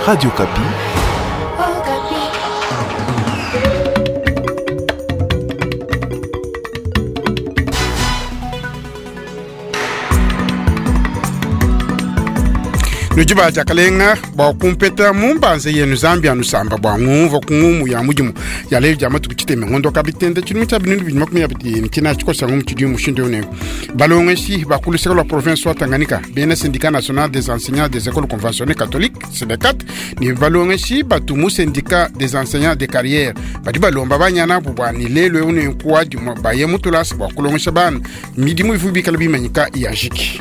Radio Okapi. Nudi ba diakalenga bua kumpeta mu mbanza yenu Nzambi anusamba bua ngumvua ku ngumu ya mudimu ya lelu dia matuku tshitema ngondo wa kabitenda tshidimu tshia 2029 tshikosa ngumu tshidi mushindu eu nenku balongeshi ba ku luseke lua province wa Tanganyika bena syndicat national des enseignants des écoles conventionnées catholiques SYNECAT ne balongeshi batu mu syndicat des enseignants de carrière badi balomba banyana abu bua ne lelu eu nenku wa dimue baye mu tulasa bua kulongesha bana midimu ivua bikala bimanyika ya jiki.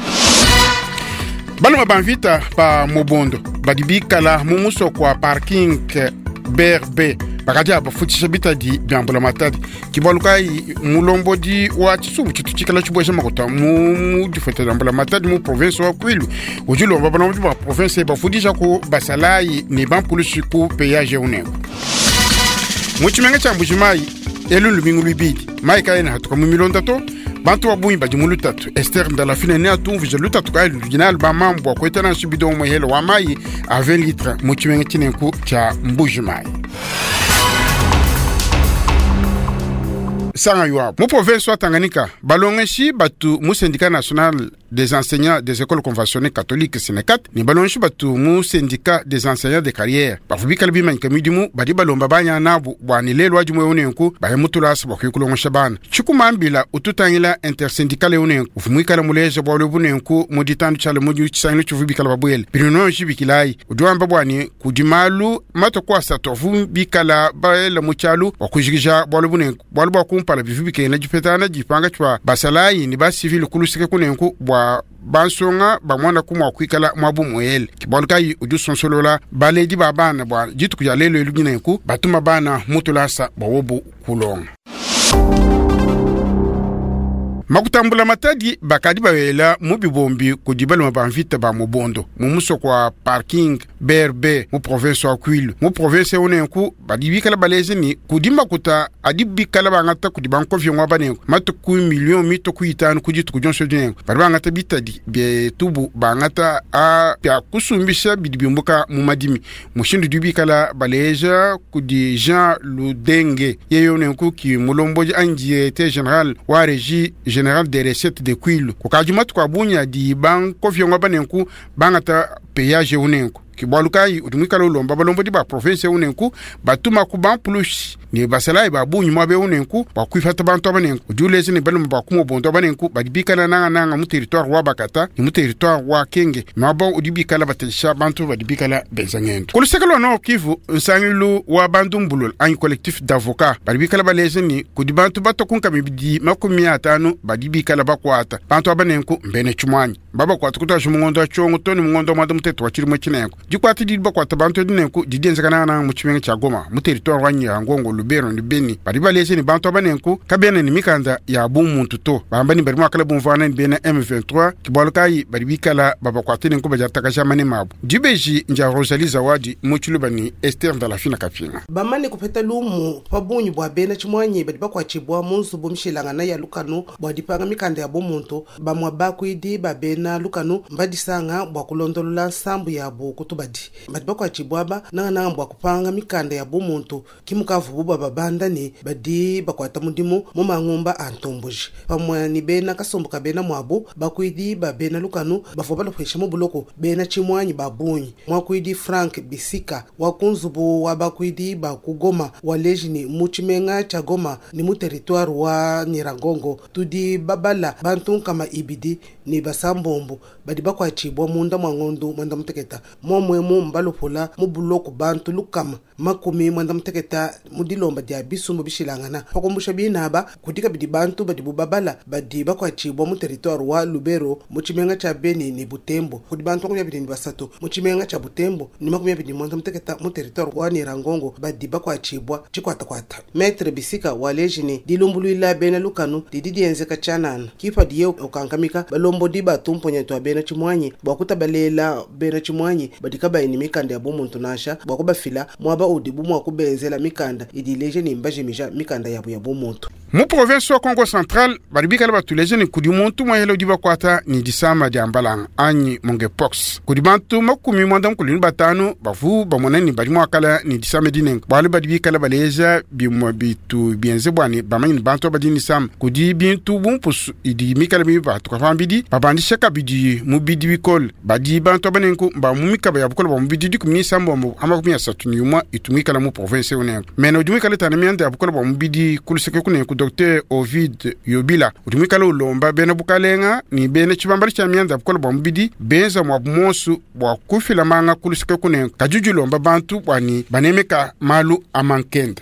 Balume ba mvita ba Mobondo badi bikala mu musoko wa parking BRB bakadi abafutshisha bitadi bia mbulamatadi. Ke bualu kayi mulombodi wa tshisumbu tshitu tshikala tshibueja makuta mu difueta dia mbulamatadi mu province wa Kwilu udi ulomba balombodi ba province bafudisha ku basalayi ne bampulushi ku peyage unenku. Mu tshimenga tshia Mbuji-Mayi elu lumingu luibidi mayi kaena atuka mu milonda to. Bantu ba bungi badi mu lutatu. Esther Ndalafine neatumvuije lutatu kayi ludi nalu ba mamu bua kueta nansha bidon umue hela wa mayi a 20 litres mu tshimenga tshinenku tshia Mbuji-Mayi. Sanga yuabu. Mu province wa Tanganyika, balongeshi batu mu syndicat national des enseignants des écoles conventionnées catholiques SYNECAT ne balongeshi batu mu syndicat des enseignants de carrière bavua bikale bimanyika midimu badi balomba banya nabu bua ne lelu wa dimue eu nenku baye mu tulasa bua kuya kulongesha bana. Tshikumambila ututangila intersyndical eu nenku uvua muikale muleja bualu ebu nenku mu ditandu tshiala mu tshisangilu tshivua bikale babuele binononji bikilayi udi wamba bua ne kudi malu matuku asatu avua bikala baela mu tshialu bua kujikija bualu ebu nenku. Bualu bua kumpala bivua bikengela dipetangana dipanga tshia basalayi ne basivile ku luseke kunenku bua bansonga bamonaku mua kuikala muabu muele. Ke bualu kayi udi usonsolola baledi ba bana bua dituku dia lelu elu dinenku batuma bana mu tulasa bua wobu kulonga. Makutambula matadi bakadi bawela mu bibombi kudi balume ba mvita ba Mobondo mu musoko wa Parking BRB mu province wa Kwilu. Mu province eu nenku badi bikala baleja ne kudi makuta adi bikala bangata kudi bankoviongo aba nenku matuku miliyo mitue 5 ku dituku dionso edi nenku badi bangata bitadi bietubu bangata a bia kusumbisha bidi biumbuka mu madimi. Mushindu udi bikala baleja kudi Jean Ludenge yeye nenku ki mulombodi anyi directeur general wa regie general des recettes de Kwilu. Kukadi matuku a bungi adi bankoviongo aba nenku bangata payage eu nenku. Ke bualu kayi udi muikale ulomba balombodi ba province eu nenku batuma ku bampulushi ne basalayi ba bungi muaba eu nenku bua kuipata bantu aba nenku. Udi uleja ne balume ba ku Mobondo aba nenku badi bikala nangananga mu territoire wa Bakata ne mu territoire wa Kenge, muaba udi bikala batesha bantu badi bikala benza ngendu. Ku luseke lua Nord Kivu, nsangilu wa bandumbulula anyi collectif d'avocats badi bikala baleja ne kudi bantu batua ku nkama 250 badi bikala bakuata bantu aba nenku mbena tshimuanyi. Babakuata kutuadija mu ngondo wa Tshiongo too ne mu ngondo wa muanda mutekete wa tshidimu etshi nenku. Dikuata didi bakuata bantu edi nenku didi dienzeka nangananga mu tshimenga tshia Goma, mu territoire wa Nyiragongo, Lubero ne Beni. Badi baleja ne bantu aba nenku kabena ne mikanda ya bumuntu to, bamba ne badi mua kala bumvuangana ne bena M23, ke bualu kayi badi bikala babakuate nenku badiatakaja manema abu. Dibeji ndia Rosalie Zawadi mu Tshiluba ne Esther Ndalafina Kapinga. Bamane kupeta lumu pa bungi bua bena tshimuangi badi bakuatshibua mu nzubu mishilangana ya lukanu bua dipanga mikanda ya bumuntu, bamue bakuidi ba bena lukanu mbadisanga bua kulondolola nsambu yabu ku tubadi. Badi bakuatshibua aba nangananga bua kupanga mikanda ya bumuntu, ke mukavubu bababanda ne badi bakuata mudimu mu mangumba a ntomboji. Pamue ne bena kasumbu ka bena muabu, bakuidi ba bena lukanu bavua balopesha mu buloko bena tshimuangi ba bungi. Muakuidi Frank Bisika wa ku nzubu wa bakuidi ba ku Goma waleji ne, mu tshimenga tshia Goma ne mu teritware wa Nyiragongo tudi babala bantu 230 badi bakuatshibua munda mua ngondo 11. Muomu emu mbalopula mu buloko bantu 160 mu dilomba dia bisumbu bishilangana. Pa kumbusha bine aba, kudi kabidi bantu badibu babala badi bakuatshibua mu teritware wa Lubero, mu tshimenga tshia Beni ne Butembo. Kudi bantu 23 mu tshimenga tshia Butembo ne 28 mu teritware wa Nyiragongo badi bakuatshibua tshikuatakuata. Maitre Bisika waleji ne, dilumbuluila bena lukanu didi dienzeka tshianana, ke padiye ukankamika balombodi ba tumponya. tumponya tua bena tshimuanyi bua kutabalela bena tshimuanyi badi kabayi ne mikanda ya bumuntu nansha bua kubafila muaba udibu mua kubenzela mikanda idi ileja ne mbajimija mikanda yabu ya bumuntu. Mu province wa Kongo Central badi bikala batuleja ne kudi muntu muahela udi bakuata ne disama dia mbalanga anyi monkeypox. Kudi bantu 95 bavu bamona ne badi muakala ne disama dinenga bualu badi bikala baleja bimue bitu bienze bua ne bamanye ne bantu badi ne disama. Kudi bintu bumpusu idi mikala mibatuka pambidi babandisha kabidi mubidi bikole. Badi bantu abanenku ba mu mikaba ya bukole bua mubidi 19 31 itu mu province unenku. Mena udi muikale tana mianda ya bukole bua mubidi kuluseke kunenku Dr Ovid Yobila udi muikale ulomba bena bukalenga ni bena tshibambala tshia mianda ya bukole bua mubidi benza mwa bumonsu bua kufila manga kuluseke kunenku kadi udi ulomba bantu bua ni banemeka malu amankende.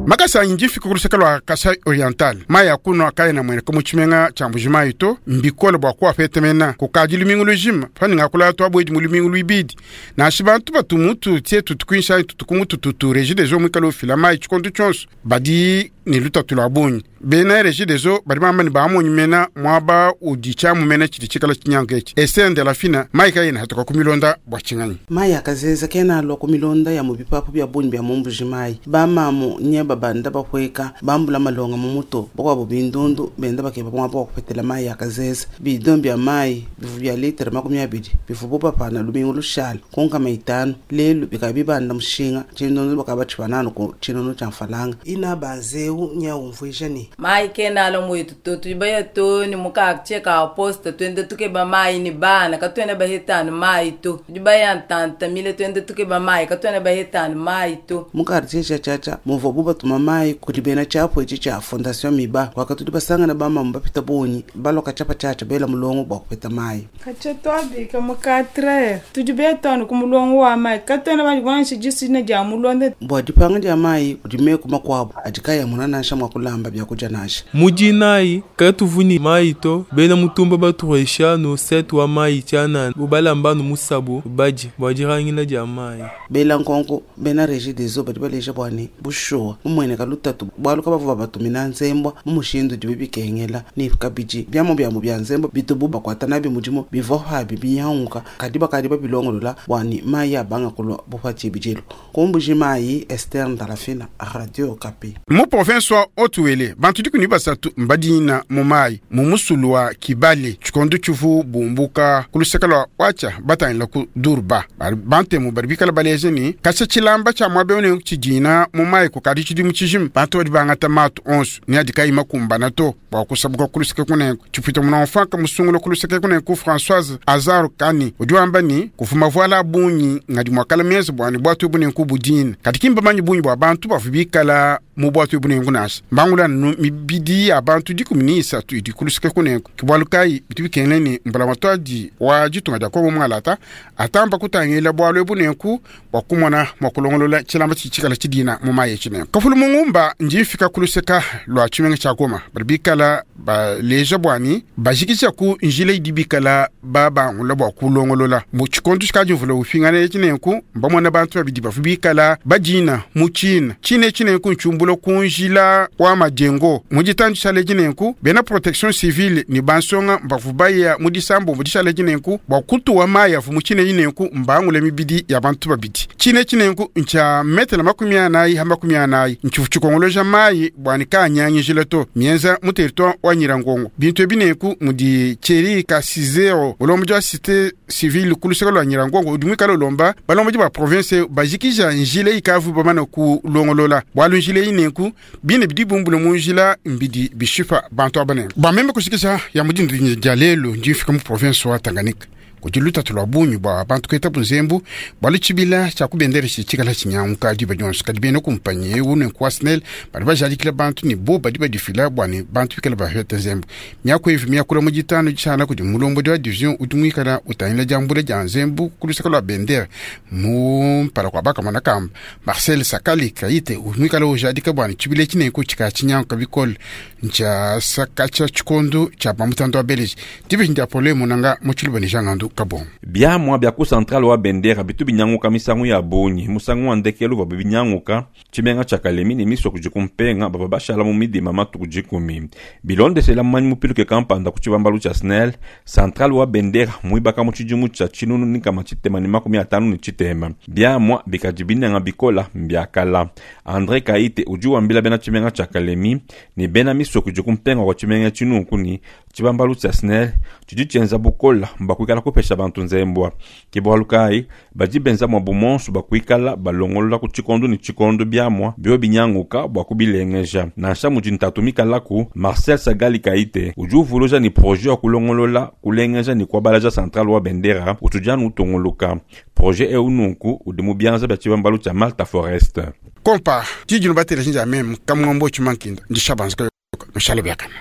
Makasa anyi ndifika kuluseke lua Kasai Oriental mayi akunwa kayena mueneka mu tshimenga tshia Mbujimayi to mbikole bua kuapetemena kukadi lumingu lujima paninga kulala tuabuedi mu lumingu luibidi nansha bantu batu mutu tie tutukuinsha tutuku tutu Regideso muikale ufila mayi tshikondo tshionso badi ne lutatu lua bungi. Bena Regideso badi bamba ne bamonyi mena muaba udi tshiamu mena tshidi tshikala tshinyanka etshi esende la fina mayi kayena hatuka ku milonda bua tshinganyi. Mayi akazeza kena alua ku milonda ya mu bipapu bia bungi bia mu Mbujimayi. Bamamu nye babanda bapueka bambula malonga mu mutu bakuabu bindundu benda bakeba muaba wa kupetela mayi akazeza. Bidon bia mayi bivu bia litre 20 bivu bapana lumingu lushala kunkama 5 lelu bikaba bibanda mushinga tshindundu bakaba tshipananu ku tshinunu tshia mfalanga. Ina banzeu nya umvuija ne mayi kena alo mwetu to tudi to ni mukaka poste twende tukeba mayi ni bana katwene bahetanu mayi to tudi baya ntantamile twende tukeba mayi katwene bahetanu mayi to. Mu quartier tshia Tshatsha muvua bu batuma mayi kudi bena tshiapu etshi tshia Fondation Miba wakatudi basangana bamamu bapita bungi baloka tshiapa tshiatsha bela mulongo bua kupeta mayi. Katsha twabika mu 4 tudi betanu ku mulongo wa mayi katwene bandi kunansha disina dia mulonde. Bua dipanga dia mayi kudi meku makuabu adi kayamuna nansha mua kulamba byakudia nansha. Mujinayi katuvuni mayi to bena mutumba baturesha no set wa mayi tshianana ubalamba no musabu baji bua dirangila dia mayi. Bela nkonko bena Regideso badi baleja bua ne bushuwa mumueneka lutatu bualu kabavua batumina nzembwa mu mushindu dibi bikengela ne kabidi biamu biamu bia nzembwa bitubu bakuata nabi mudimu bivua pabi binyanguka kadi bakadi babilongolola bua ne mayi abanga kulua bupati bijelu. Ku Mbujimayi, Esther Ndalafina, Radio Okapi. Mu province wa Haut-Uele bantu 13 mbadina mu mayi mu musulu wa Kibale tshikondo tshivu bumbuka ku luseke lua Watcha batangila ku Durba. Bantemu badi bikala baleja ne kasha tshilamba tshia muaba eu ne tshidina mu mayi kukadi tshidimu tshijima bantu badi bangata matu onso ne adi kayi makumbana to bua kusabuka ku luseke kunenku. Tshipwita muna mfanka musungula ku luseke kunenku Françoise Azaro Kani udi wamba ne kuvuma vuala bungi ngadi muakala mienza bua ne bwatu bunenku budina kadi kimba manyi bungi bua bantu bavu bikala mu bwatu bunenku nansha mbangula nu mibidi ya bantu 13 idi ku luseke kunenku. Kibwalu kayi bitu bikengela ne mbula matwadi wa ditunga dia Kongo mwalata atamba kutangila bwalu bunenku bua kumona mua kulongolola tshilamba tshikala tshidina mu mayi tshinenku. Kafulu mungumba njifika ku luseka lua tshimenga tshia Goma badi bikala baleja bwani bajikisha ku njila idi bikala babangula bua kulongolola mu tshikondo tshikadi mvula ufingana tshinenku mbamona bantu babidi bavu bikala badina mu tshina tshine tshinenku ntshumbula ku njila wa majengo mu ditandu tshale tshinenku bena protection civile ni bansonga mbavu baya mu disambo mu dishale tshinenku bua kutuwa mayi avu mu tshine tshinenku mbangule mibidi ya bantu babidi tshine tshinenku ntshia metela 40 ha 40 ntshivu tshikongoloja mayi bwani kanyangijila to mienza mu territoire wa Nyirangongo bintu ebinenku mudi Thierry Kasizero ulombo wa cité civile ku luseke lua Nyirangongo udi muikale ulomba balombo ba province bajikija njila ikavu bamana kulongolola bwalu njila inenku bine bidi bumbule mu njila mbidi bishipa bantu abanenku bameme kushikisha ya mudindu dia lelu ndi mfika mu province wa Tanganyika kudi lutatu lua bungi bua bantu kueta bunzembu bwalu tshibila tshia kubendera tshikala tshinyanguka diba dionso kadi bena kumpanyi eu ne kwa SNEL badi bajadikila bantu ne bo badi badifila bua ne bantu bikala bapeta nzembu miaku evi miakula mu ditanu tshiala kudi mulombodi wa division udi muikala utangila diambula dia nzembu ku luseke lua bendera mu mpala kua bakamona kamba Marcel Sakali Kaite udi muikala ujadika bua ne tshibila tshinenku tshikala tshinyanguka bikole ntshia saka tshia tshikondo tshia bamutando wa beleji dibi ndia pole munanga mu tshiluba ne jangandu. Kabongo. Biamua bia ku centrale wa Bendera bitu binyanguka misangu ya bungi. Musangu wa ndekelu bavua binyanguka tshimenga tshia Kalemi ne misoko idi kumpenga bavua bashala mu midima matuku dikumi. Bilondeshela mumanyi mupiluke kampanda ku tshibambalu tshia SNEL, centrale wa Bendera muibaka mu tshidimu tshia 1553. Biamua bikadi binenga bikola mbia kala. Andre Kaite udi wambila bena tshimenga tshia Kalemi ne bena misoko idi kumpenga kua tshimenga tshinunku ne tshibambalu tshia SNEL tshidi tshienza bukola bua kuikala kupesha bantu nzembua. Ke bualu kayi badi benza muabu monso bua kuikala balongolola ku tshikondo ne tshikondo biamua bio binyanguka bua kubilengeja. Nansha mudi ntatu mikalaku, Marcel Sagali Kaite udi uvuluja ne projet wa kulongolola, kulengeja ne kuabalaja centrale wa Bendera utudi anu utunguluka. Projet eu nunku udi mu bianza bia tshibambalu tshia Malta Forest. Kompa tshijinu bateleja njia meme kamwambo tshimankinda ndishabanza kayoka nushale biakana.